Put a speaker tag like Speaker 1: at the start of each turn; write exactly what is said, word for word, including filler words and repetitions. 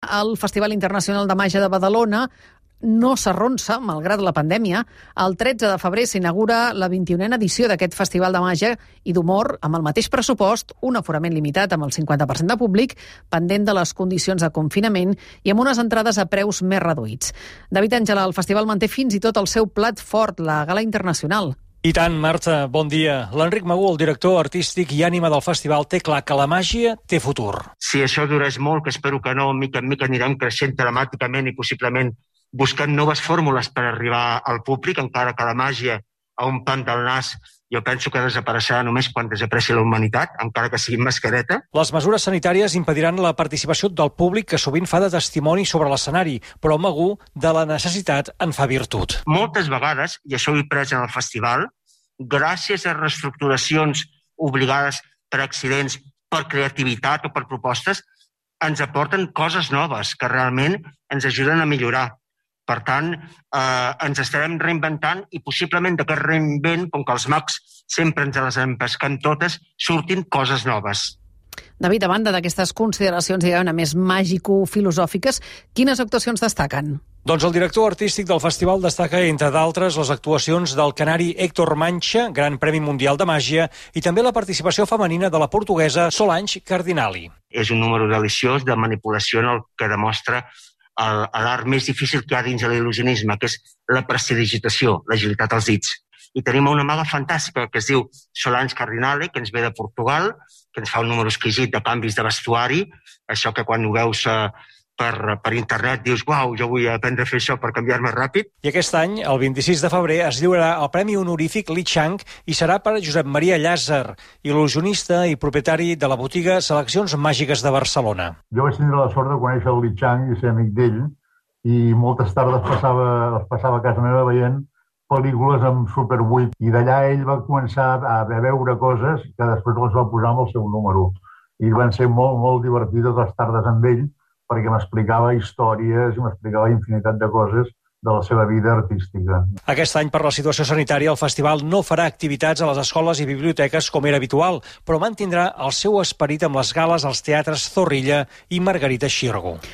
Speaker 1: El Festival Internacional de Màgia de Badalona no s'arronsa, malgrat la pandèmia. El tretze de febrer s'inaugura la vint-i-unena edició d'aquest Festival de Màgia i d'Humor amb el mateix pressupost, un aforament limitat amb el cinquanta per cent de públic, pendent de les condicions de confinament i amb unes entrades a preus més reduïts. David Àngela, el festival manté fins i tot el seu plat fort, la Gala Internacional.
Speaker 2: I tant, Marta, bon dia. L'Enric Magú, el director artístic i ànima del festival, té clar que la màgia té futur.
Speaker 3: Si això durés molt, que espero que no, mica en mica anirem creixent telemàticament i possiblement buscant noves fórmules per arribar al públic, encara que la màgia a un pam del nas jo penso que desapareixerà només quan desapareixi la humanitat, encara que sigui mascareta.
Speaker 2: Les mesures sanitàries impediran la participació del públic, que sovint fa de testimoni sobre l'escenari, però Magú de la necessitat en fa virtut.
Speaker 3: Moltes vegades, i això ho he pres en el festival, gràcies a reestructuracions obligades per accidents, per creativitat o per propostes, ens aporten coses noves que realment ens ajuden a millorar. Per tant, eh, ens estarem reinventant i possiblement d'aquest reinvent, com que els mags sempre ens les empesquem totes, surtin coses noves.
Speaker 1: David, a banda d'aquestes consideracions, diguem-ne, més màgico-filosòfiques, quines actuacions destaquen?
Speaker 2: Doncs el director artístic del festival destaca, entre d'altres, les actuacions del canari Héctor Mancha, Gran Premi Mundial de Màgia, i també la participació femenina de la portuguesa Solange Cardinali.
Speaker 3: És un número deliciós de manipulació en el que demostra l'art més difícil que hi ha dins de l'il·lusionisme, que és la prestidigitació, l'agilitat als dits. I tenim una maga fantàstica que es diu Solange Cardinale, que ens ve de Portugal, que ens fa un número exquisit de canvis de vestuari, això que quan ho veus eh, per, per internet dius, uau, jo vull aprendre a fer això per canviar-me ràpid.
Speaker 2: I aquest any, el vint-i-sis de febrer, es lliurarà el Premi Honorífic Li Chang i serà per Josep Maria Llàzer, il·lusionista i propietari de la botiga Seleccions Màgiques de Barcelona.
Speaker 4: Jo vaig tindre la sort de conèixer el Li Chang i ser amic d'ell, i moltes tardes passava, les passava a casa meva veient pel·lícules amb Super vuit, i d'allà ell va començar a veure coses que després les va posar amb el seu número. I van ser molt, molt divertides les tardes amb ell, perquè m'explicava històries i m'explicava infinitat de coses de la seva vida artística.
Speaker 2: Aquest any, per la situació sanitària, el festival no farà activitats a les escoles i biblioteques com era habitual, però mantindrà el seu esperit amb les gales als teatres Zorrilla i Margarita Xirgo.